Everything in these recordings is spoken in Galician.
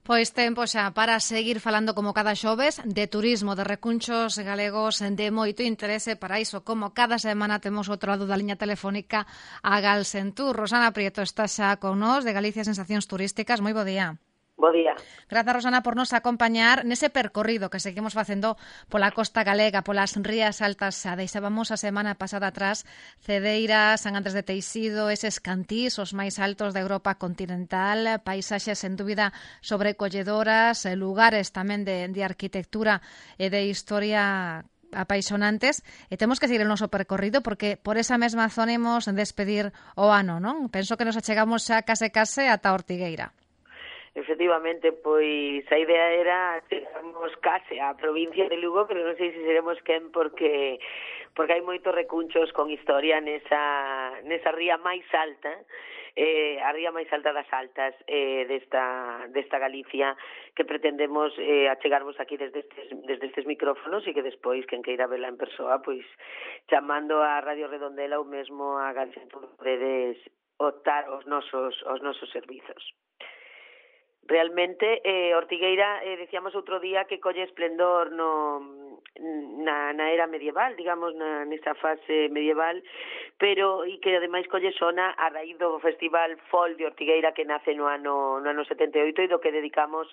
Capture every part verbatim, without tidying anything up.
Pois tempo xa para seguir falando como cada xoves de turismo, de recunchos galegos de moito interese para iso, como cada semana temos outro lado da liña telefónica a Galsentur. Rosana Prieto está xa con nós de Galicia Sensacións Turísticas. Moi bo día. Bo día. Grazas, Rosana, por nos acompañar nese percorrido que seguimos facendo pola costa galega, polas rías altas. Xa deixábamos a semana pasada atrás Cedeira, San Andrés de Teixido, eses cantís, os máis altos da Europa continental, paisaxes en dúbida sobrecolledoras, lugares tamén de, de arquitectura e de historia apaixonantes, e temos que seguir o noso percorrido porque por esa mesma zona imos despedir o ano, non? Penso que nos achegamos xa case case ata Ortigueira. Efectivamente, pois a idea era chegarmos case á provincia de Lugo, pero non sei se seremos quen porque porque hai moitos recunchos con historia nesa nesa ría máis alta, eh, a ría máis alta das altas eh, desta desta Galicia, que pretendemos eh, achegarvos aquí desde estes, desde estes micrófonos e que despois, quen queira verla en persoa, pois chamando a Radio Redondela ou mesmo a Galicia podedes optar os nosos, os nosos servizos. Realmente, eh, Ortigueira, eh, decíamos outro día que colle esplendor no, na, na era medieval, digamos, na, nesa fase medieval, pero e que ademais colle sona a raíz do Festival Folk de Ortigueira que nace no ano, no ano setenta e oito e do que dedicamos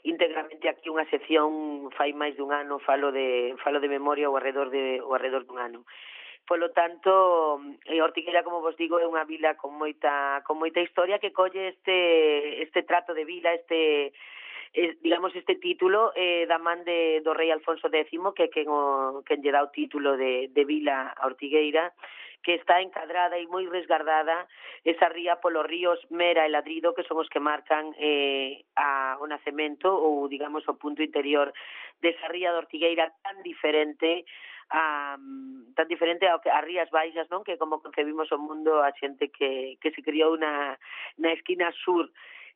íntegramente aquí unha sección fai máis dun ano, falo de, falo de memoria ao arredor, de, ao arredor dun ano. Polo tanto, Ortigueira, como vos digo, é unha vila con moita con moita historia que colle este este trato de vila, este eh, digamos este título eh, da man de do rei Alfonso décimo, que quen o quen lle dá o título de de vila a Ortigueira, que está encadrada e moi resgardada esa ría polos ríos Mera e Ladrido, que son os que marcan eh, a, o nacemento ou, digamos, o punto interior desa ría de Ortigueira tan diferente a, tan diferente ao que as Rías Baixas, non? Que como concebimos o mundo a xente que, que se criou na, na esquina sur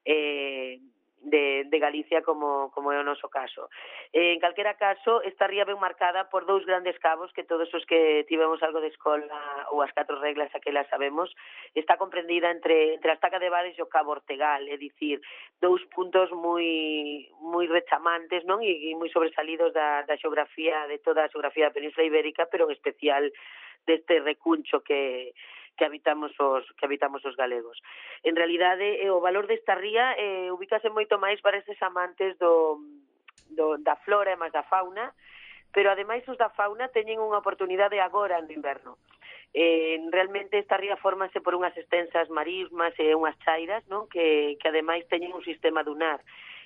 eh, de, de Galicia como, como é o noso caso. Eh, en calquera caso, esta ría ben marcada por dous grandes cabos que todos os que tivemos algo de escola ou as catro reglas aquelas sabemos, está comprendida entre, entre a Estaca de Bares e o Cabo Ortegal, é dicir, dous puntos moi moi rechamantes, non? E, e moi sobresalidos da, da xeografía, de toda a xeografía da Península Ibérica, pero en especial deste recuncho que que habitamos os que habitamos os galegos. En realidade, eh, o valor desta ría eh, ubícase moito máis para estes amantes do, do da flora e máis da fauna, pero ademais os da fauna teñen unha oportunidade agora no inverno. Eh, realmente esta ría fórmase por unhas extensas marismas e unhas chairas, non? Que, que ademais teñen un sistema dunar.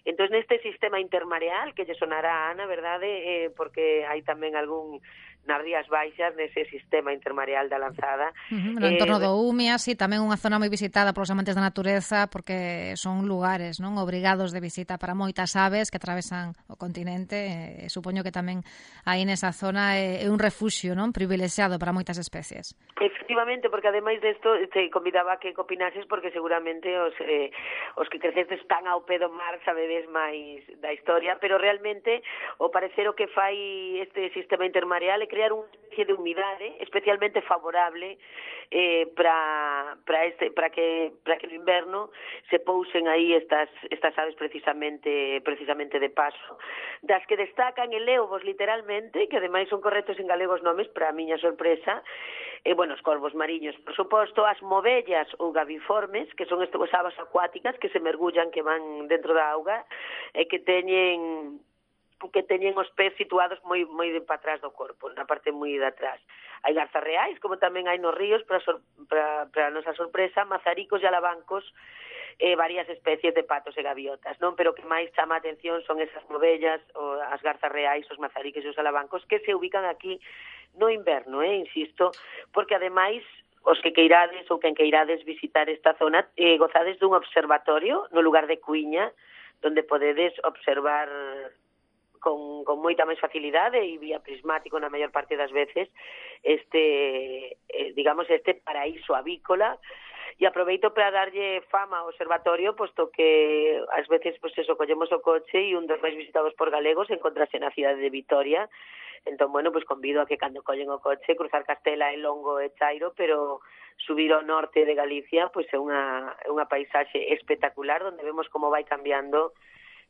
Entón, neste sistema intermareal, que lle sonará a Ana, verdade? Eh, porque hai tamén algún nas Rías Baixas, nese sistema intermareal da Lanzada. Uh-huh, no entorno eh, do Umia, sí, tamén unha zona moi visitada polos amantes da natureza, porque son lugares, non, obrigados de visita para moitas aves que atravesan o continente. Eh, supoño que tamén aí nesa zona é, é un refuxio, non, privilexiado para moitas especies. Efectivamente, porque ademais desto te convidaba que opinases, porque seguramente os, eh, os que crecestes tan ao pé do mar sabedes máis da historia, pero realmente o parecer o que fai este sistema intermareal é crear unha especie de humidade especialmente favorable eh, para para este para que para que no inverno se pousen aí estas estas aves precisamente precisamente de paso, das que destacan e leovos literalmente, que ademais son correctos en galegos nomes para a miña sorpresa. E, bueno, os corvos mariños, por suposto, as movellas ou gaviformes, que son estas aves acuáticas que se mergullan, que van dentro da auga, e que teñen que teñen os pés situados moi moi de para atrás do corpo, na parte moi de atrás. Hai garzas reais, como tamén hai nos ríos, para, sor, para, para a nosa sorpresa, mazaricos e alabancos, e varias especies de patos e gaviotas, non? Pero que máis chama a atención son esas movellas, o as garzas reais, os mazaricos e os alabancos, que se ubican aquí no inverno, eh, insisto, porque ademais os que queirades ou quen queirades visitar esta zona, eh, gozades dun observatorio no lugar de Cuiña, donde podedes observar con, con moita máis facilidade e vía prismático na maior parte das veces este, eh, digamos, este paraíso avícola. E aproveito para darlle fama ao observatorio, posto que ás veces, pois eso, collemos o coche e un dos máis visitados por galegos encontrase na cidade de Vitoria. Entón, bueno, pois convido a que cando collen o coche cruzar Castela e Longo e Chairo, pero subir ao norte de Galicia, pois é unha, é unha paisaxe espectacular, onde vemos como vai cambiando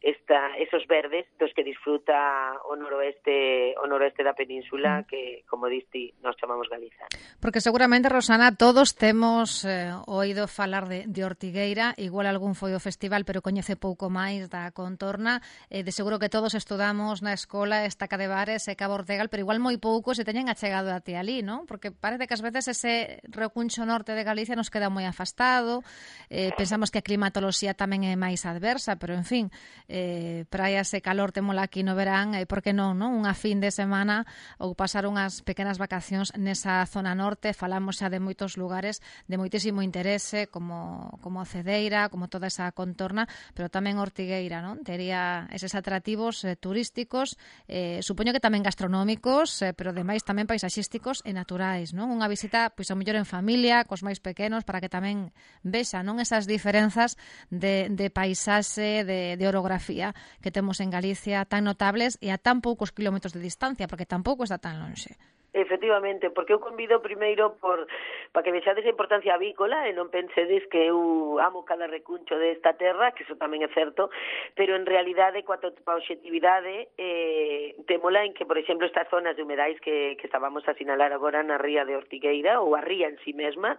esta, esos verdes dos que disfruta o noroeste o noroeste da península, que, como diste, nós chamamos Galiza. Porque seguramente, Rosana, todos temos eh, oído falar de, de Ortigueira, igual algún foi o festival, pero coñece pouco máis da contorna, eh, de seguro que todos estudamos na escola Estaca de Bares e Cabo Ortegal, pero igual moi pouco se teñen achegado até ali, non? Porque parece que ás veces ese recuncho norte de Galicia nos queda moi afastado, eh, pensamos que a climatoloxía tamén é máis adversa, pero en fin, eh, praias e calor temola aquí no verán, e eh, por que non, non? Unha fin de semana ou pasar unhas pequenas vacacións nesa zona norte. Falamos xa de moitos lugares de moitísimo interese, como, como Cedeira, como toda esa contorna, pero tamén Ortigueira, non? Tería eses atractivos eh, turísticos, eh, supoño que tamén gastronómicos, eh, pero demais tamén paisaxísticos e naturais, non? Unha visita, pois, ao mellor en familia, cos máis pequenos, para que tamén vexa, non, esas diferenzas de, de paisaxe, de, de orografía que temos en Galicia tan notables e a tan poucos kilómetros de distancia, porque tampouco está tan lonxe. Efectivamente, porque eu convido primeiro por para que vexades a importancia avícola e non pensedes que eu amo cada recuncho desta terra, que iso tamén é certo, pero en realidade, coa obxectividade, eh, temola en que, por exemplo, estas zonas de humedais que, que estábamos a sinalar agora na ría de Ortigueira, ou a ría en si mesma,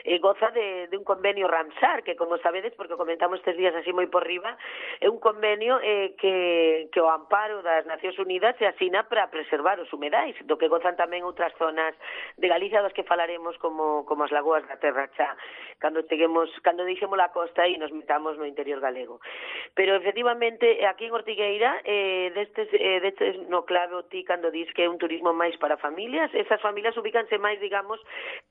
eh, goza de, de un convenio Ramsar, que, como sabedes, porque comentamos estes días así moi por riba, é un convenio eh, que, que o amparo das Nacións Unidas se asina para preservar os humedais, do que gozan tamén tamén outras zonas de Galicia das que falaremos, como como as lagoas da Terra Chá, cando cheguemos, cando deixemos a costa e nos metamos no interior galego. Pero efectivamente aquí en Ortigueira, eh, destes, eh, destes no clave ti cando dis que é un turismo máis para familias, esas familias ubícanse máis, digamos,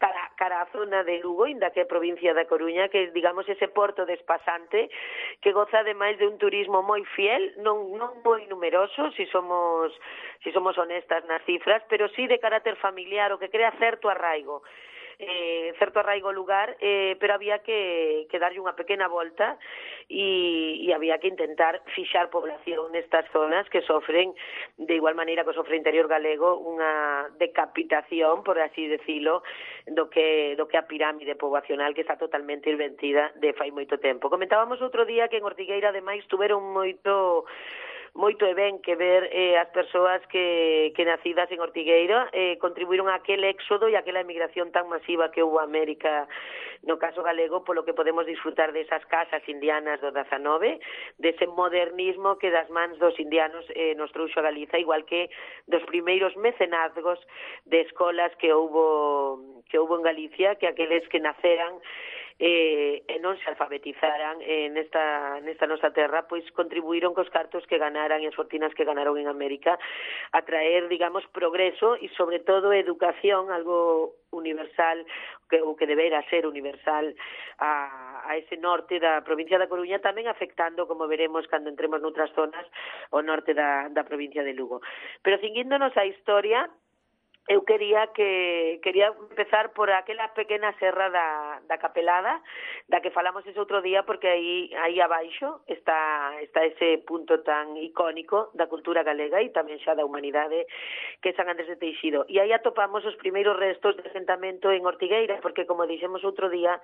cara, cara a zona de Lugo, inda que é provincia da Coruña, que digamos ese porto despasante que goza ademais de un turismo moi fiel, non non moi numeroso, si somos si somos honestas nas cifras, pero sí de carácter familiar, o que crea certo arraigo, eh, certo arraigo lugar, eh, pero había que, que darlle unha pequena volta e, e había que intentar fixar población nestas zonas que sofren, de igual maneira que sofre o interior galego, unha decapitación, por así decilo, do que, do que a pirámide poboacional que está totalmente invertida de fai moito tempo. Comentábamos outro día que en Ortigueira, ademais, tuveron moito moito e ben que ver eh, as persoas que, que nacidas en Ortigueira eh, contribuíron a aquel éxodo e aquela emigración tan masiva que houve a América, no caso galego, polo que podemos disfrutar desas casas indianas do dezanove, dese modernismo que das mans dos indianos eh, nos trouxo a Galiza, igual que dos primeiros mecenazgos de escolas que houbo que houbo en Galicia, que aqueles que naceran eh, e non se alfabetizaran eh, nesta, nesta nosa terra, pois contribuíron cos cartos que ganaran e as fortinas que ganaron en América a traer, digamos, progreso e, sobre todo, educación, algo universal, que, o que debera ser universal a, a ese norte da provincia da Coruña, tamén afectando, como veremos cando entremos noutras zonas, o norte da, da provincia de Lugo. Pero cinguíndonos a historia, eu quería que quería empezar por aquela pequena serra da, da Capelada, da que falamos ese outro día, porque aí aí abaixo está está ese punto tan icónico da cultura galega e tamén xa da humanidade, que é San Andrés de Teixido. E aí atopamos os primeiros restos de asentamento en Ortigueira, porque, como dixemos outro día,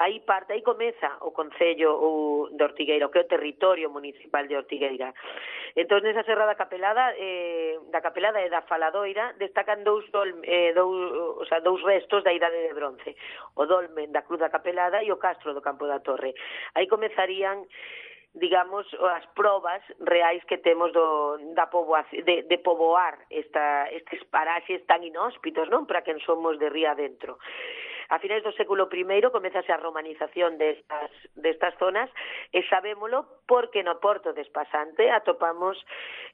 aí parte, aí comeza o concello ou de Ortigueira, o que é o territorio municipal de Ortigueira. Entón, nesa serra da Capelada, eh, da Capelada e da Faladoira, destacan dous Dolme, eh, dous, o sea, dous restos da Idade de Bronce, o dolmen da Cruz da Capelada e o castro do Campo da Torre. Aí comezarían, digamos, as probas reais que temos do, da poboación, de, de poboar esta, estes paraxes tan inhóspitos, non? Para quen somos de ría adentro. A finais do século primeiro comezase a romanización destas, destas zonas e sabémolo porque no Porto de Espasante atopamos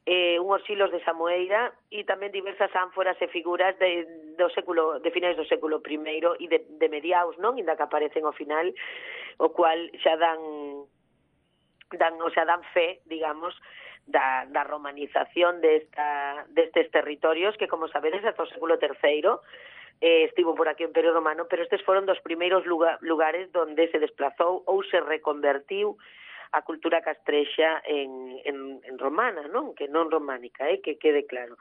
eh, unhos silos de Samoeira e tamén diversas ánforas e figuras de, do século, de finais do século primeiro e de, de mediaos, non? Inda que aparecen ao final, o cual xa dan, dan, o sea, dan fe, digamos, da, da romanización desta, destes territorios que, como sabedes, hasta o século terceiro eh, estivo por aquí o Imperio Romano, pero estes foron dos primeiros lugar, lugares donde se desplazou ou se reconvertiu a cultura castrexa en, en, en romana, non? Que non románica, eh? Que quede claro.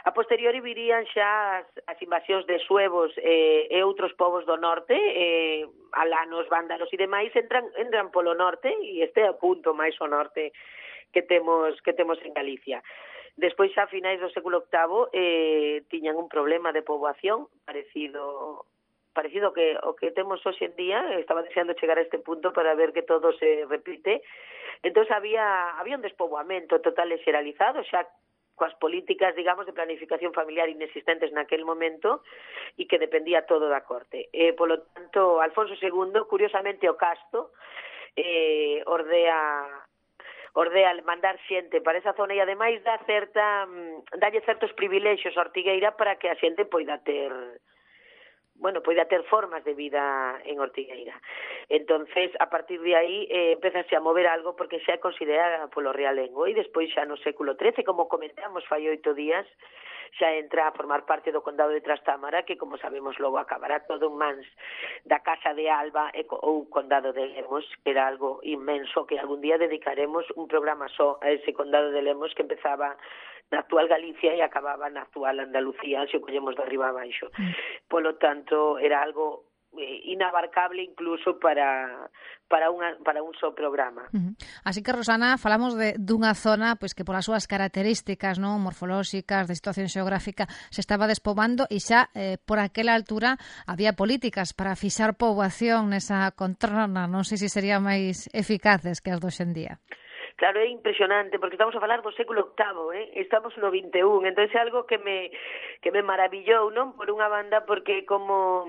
A posteriori virían xa as, as invasións de suevos eh, e outros povos do norte, eh, alanos, vándalos e demais, entran, entran polo norte, e este é o punto máis ao norte que temos que temos en Galicia. Despois, xa a finais do século octavo, eh, tiñan un problema de poboación parecido parecido que o que temos hoxe en día. Estaba deseando chegar a este punto para ver que todo se repite. Entón, había, había un despoboamento total e xeralizado, xa coas políticas, digamos, de planificación familiar inexistentes naquel momento e que dependía todo da corte. Eh, polo tanto, Alfonso segundo, curiosamente, o Casto, eh, ordea... ordea mandar xente para esa zona e ademais dá certa dalle certos privilexios a Ortigueira para que a xente poida ter bueno, poida ter formas de vida en Ortigueira. Entonces, a partir de aí, eh, empezase a mover algo porque xa é considerada polo realengo e despois xa no século trece, como comentamos fai oito días, xa entra a formar parte do condado de Trastámara, que, como sabemos, logo acabará todo en mans da Casa de Alba ou condado de Lemos, que era algo inmenso, que algún día dedicaremos un programa só a ese condado de Lemos que empezaba na actual Galicia e acababa na actual Andalucía, se o collemos de arriba a baixo. Mm. Polo tanto, era algo inabarcable incluso para para unha para un só programa. Uh-huh. Así que, Rosana, falamos de dunha zona pois que polas súas características, non, morfolóxicas, de situación xeográfica, se estaba despobando e xa eh, por aquela altura había políticas para fixar poboación nesa contorna, non sei se sería máis eficaces que as do hoxendía. Claro, é impresionante, porque estamos a falar do século octavo, eh? Estamos no vinte e un, entón é algo que me que me maravillou, non? Por unha banda, porque como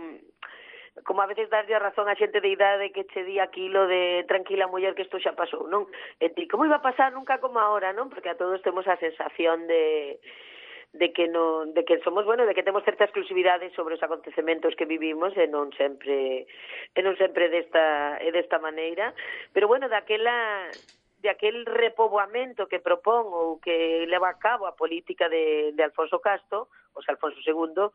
como a veces darlle a razón a xente de idade que che di aquilo de tranquila muller que isto xa pasou, non? E ti, como iba a pasar nunca como ahora, non? Porque a todos temos a sensación de de que non de que somos, bueno, de que temos certa exclusividade sobre os acontecementos que vivimos e non sempre e non sempre desta e desta maneira, pero bueno, daquela de aquel repoboamento que propón ou que leva a cabo a política de, de Alfonso Casto, ou sea, Alfonso segundo,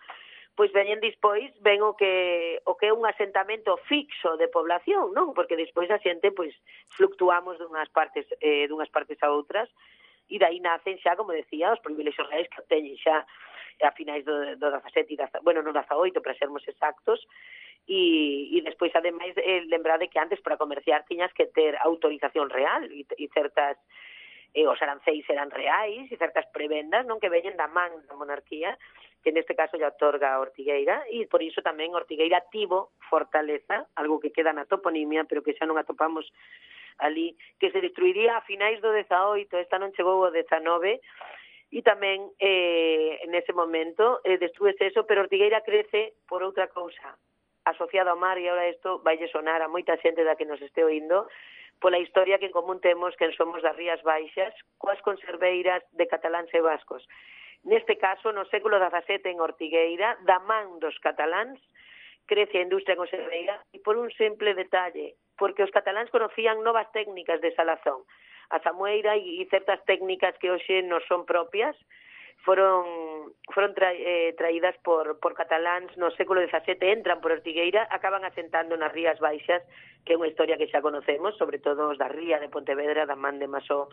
pois veñen dispois, ven o que o que é un asentamento fixo de población, non? Porque despois a xente pois fluctuamos dunhas partes eh, dunhas partes a outras e dai nacen xa, como decía, os privilexios reais que teñen xa a finais do, do dezasete, bueno, no dezaoito, para sermos exactos, e, e despois, ademais, eh, lembrade que antes para comerciar tiñas que ter autorización real e, e certas eh, os aranceis eran reais e certas prebendas, non, que veñen da man da monarquía, que neste caso lle otorga a Ortigueira, e por iso tamén Ortigueira tivo fortaleza, algo que queda na toponimia, pero que xa non atopamos ali, que se destruiría a finais do dezaoito, esta non chegou ao dezanove, e tamén eh, nese momento eh, destrúese eso, pero Ortigueira crece por outra cousa, asociado ao mar, e ahora isto vai sonar a moita xente da que nos este oindo, pola historia que en común temos que somos das Rías Baixas, coas conserveiras de cataláns e vascos. Neste caso, no século dezasete, en Ortigueira, da man dos cataláns, crece a industria conserveira e por un simple detalle, porque os cataláns conocían novas técnicas de salazón. A samueira e certas técnicas que hoxe non son propias foron foron tra, eh, traídas por, por cataláns no século dezasete, entran por Ortigueira, acaban asentando nas Rías Baixas, que é unha historia que xa conocemos, sobre todo os da Ría de Pontevedra, da man de Masó,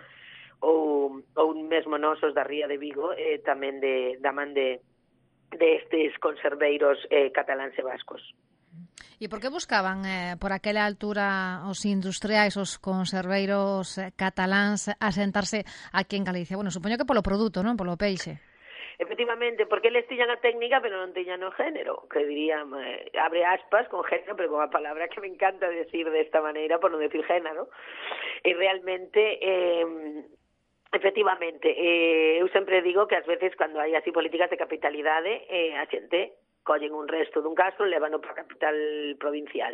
ou, ou mesmo nosos da Ría de Vigo, eh, tamén de, da man de, de estes conserveiros eh, cataláns e vascos. E por que buscaban eh, por aquela altura os industriais, os conserveiros eh, cataláns asentarse aquí en Galicia? Bueno, supoño que polo produto, non? Polo peixe. Efectivamente, porque eles tiñan a técnica, pero non tiñan o género, que dirían, eh, abre aspas con género, pero con a palabra que me encanta decir desta maneira, por non decir género. E realmente... Eh, Efectivamente, eh, eu sempre digo que ás veces cando hai así políticas de capitalidade, eh, a xente collen un resto dun castro e levan para a capital provincial.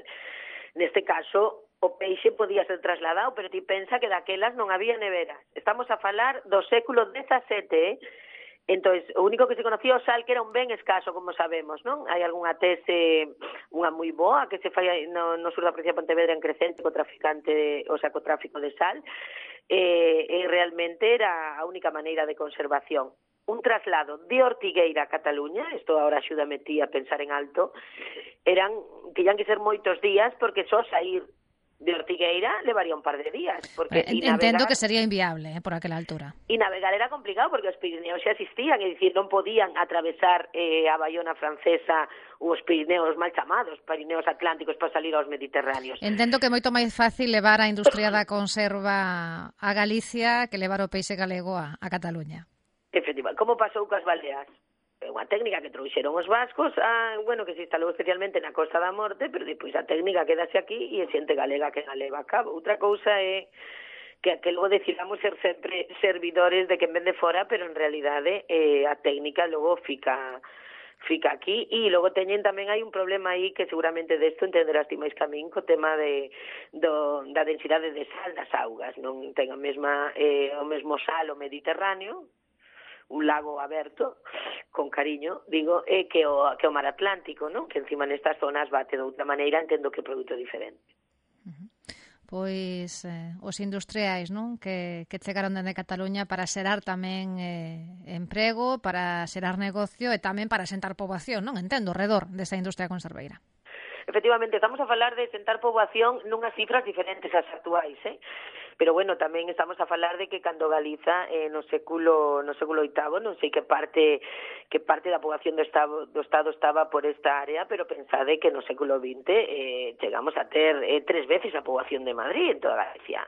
Neste caso, o peixe podía ser trasladado, pero ti pensa que daquelas non había neveras. Estamos a falar do século dezasete, eh? Entón, o único que se conocía o sal, que era un ben escaso, como sabemos, non? Hai algunha tese, unha moi boa, que se fai no, no sur da provincia de Pontevedra en crecente co traficante, o sea, co tráfico de sal, e, e realmente era a única maneira de conservación. Un traslado de Ortigueira a Cataluña, isto agora axúdame ti a pensar en alto, eran, tiñan que ser moitos días, porque só sair de Ortigueira levaría un par de días. Porque eh, entendo navegar, que sería inviable eh, por aquela altura. E navegar era complicado porque os Pirineos xa existían, é dicir, non podían atravesar eh, a Baiona francesa ou os Pirineos mal chamados, Pirineos atlánticos para salir aos Mediterráneos. Entendo que é moito máis fácil levar a industria da conserva a Galicia que levar o peixe galego a, a Cataluña. Efectivamente, como pasou cas baleas? É unha técnica que trouxeron os vascos, a, bueno, que se instalou especialmente na Costa da Morte, pero depois a técnica quedase aquí e é xente galega que a leva a cabo. Outra cousa é que, que logo decidamos ser sempre servidores de quen vende fora, pero en realidade eh, a técnica logo fica fica aquí. E logo teñen tamén hai un problema aí que seguramente desto entenderás ti máis que a min, co tema de, do, da densidade de sal das augas. Non ten a mesma, eh, o mesmo sal o Mediterráneo, un lago aberto, con cariño, digo, é que o, que o mar Atlántico, non? Que encima nestas zonas bate de outra maneira, entendo que é produto diferente. Uh-huh. Pois eh, os industriais, non? Que, que chegaron dende Cataluña para xerar tamén eh, emprego, para xerar negocio e tamén para sentar poboación, non? Entendo, redor desa industria conserveira. Efectivamente, estamos a falar de sentar poboación nunhas cifras diferentes ás actuais, eh? Pero bueno, tamén estamos a falar de que cando Galiza eh, no século no século oitavo, non sei que parte que parte da poboación do estado do estado estaba por esta área, pero pensade que no século vinte eh, chegamos a ter eh, tres veces a poboación de Madrid en toda Galicia.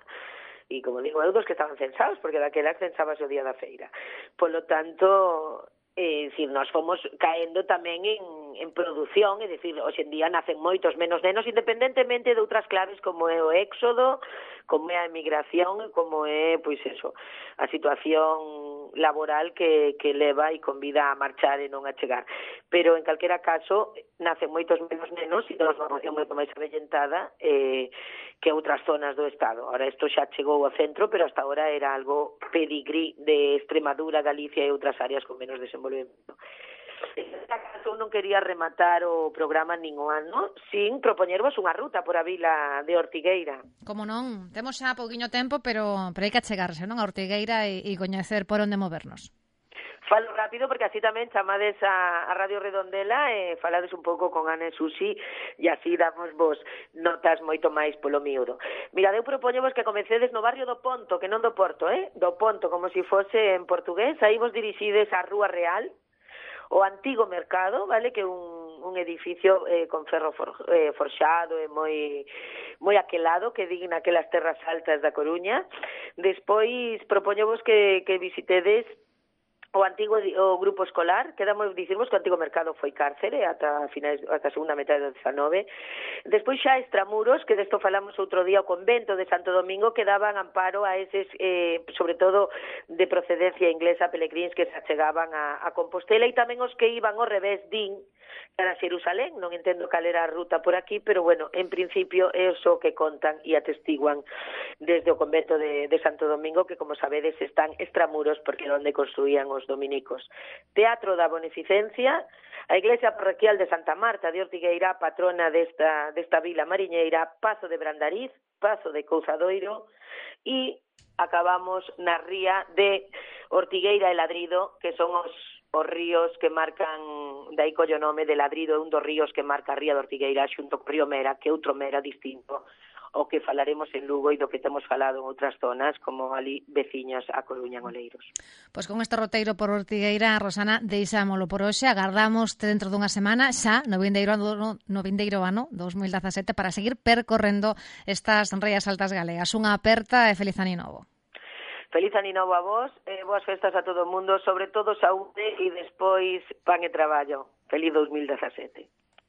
E como digo, eu dos que estaban censados, porque daquela censábase o día da feira. Polo tanto, é dicir, nós fomos caendo tamén en, en produción, é dicir, hoxe en día nacen moitos menos nenos, independentemente de outras claves como é o éxodo, como é a emigración, como é, pois eso, a situación laboral que, que leva e convida a marchar e non a chegar. Pero, en calquera caso, nacen moitos menos nenos e temos unha poboación moito máis avellentada eh, que outras zonas do Estado. Ahora, isto xa chegou ao centro, pero hasta ahora era algo pedigrí de Extremadura, Galicia e outras áreas con menos desenvolvemento. Nesta caso, non quería rematar o programa ningún ano sin propoñervos unha ruta por a vila de Ortigueira. Como non, temos xa pouquiño tempo, pero, pero hai que achegarse, non, a Ortigueira e, e coñecer por onde movernos. Falo rápido porque así tamén chamades a, a Radio Redondela e falades un pouco con Ana e Susi e así damos vos notas moito máis polo miúdo. Mira, eu propoño vos que comecedes no barrio do Ponto, que non do Porto, eh? Do Ponto, como se si fose en portugués, aí vos dirixides á Rúa Real, o antigo mercado, vale, que é un, un edificio eh, con ferro for, eh, forxado e moi moi aquelado, que digna aquelas terras altas da Coruña. Despois propoñovos que, que visitedes o antigo o grupo escolar, quedamos dicirmos que o antigo mercado foi cárcere ata finais ata a segunda metade do dezanove. Despois xa extramuros, que desto falamos outro día, o convento de Santo Domingo, que daban amparo a eses, eh, sobre todo de procedencia inglesa, pelegríns que se achegaban a, a Compostela, e tamén os que iban ao revés, din, para Xerusalén. Non entendo cal era a ruta por aquí, pero bueno, en principio é o que contan e atestiguan desde o convento de, de Santo Domingo, que como sabedes están extramuros porque é onde construían os dominicos. Teatro da Bonificencia, a Iglesia Parroquial de Santa Marta de Ortigueira, patrona desta, desta vila mariñeira, Pazo de Brandariz, Pazo de Couzadoiro, e acabamos na ría de Ortigueira e Ladrido, que son os os ríos que marcan, dai collo nome de Ladrido, é un dos ríos que marca a ría de Ortigueira xunto co río Mera, que é outro Mera distinto o que falaremos en Lugo e do que temos falado en outras zonas como ali veciñas a Coruña, en Oleiros. Pois con este roteiro por Ortigueira, Rosana, deixámolo por hoxe, agardamos dentro dunha semana xa no vindeiro ano, no vindeiro ano dos mil dezasete para seguir percorrendo estas rías altas galegas. Unha aperta e feliz ano novo. Feliz ano novo a vos, eh, boas festas a todo o mundo, sobre todo saúde e despois pan e traballo. Feliz dos mil dezasete.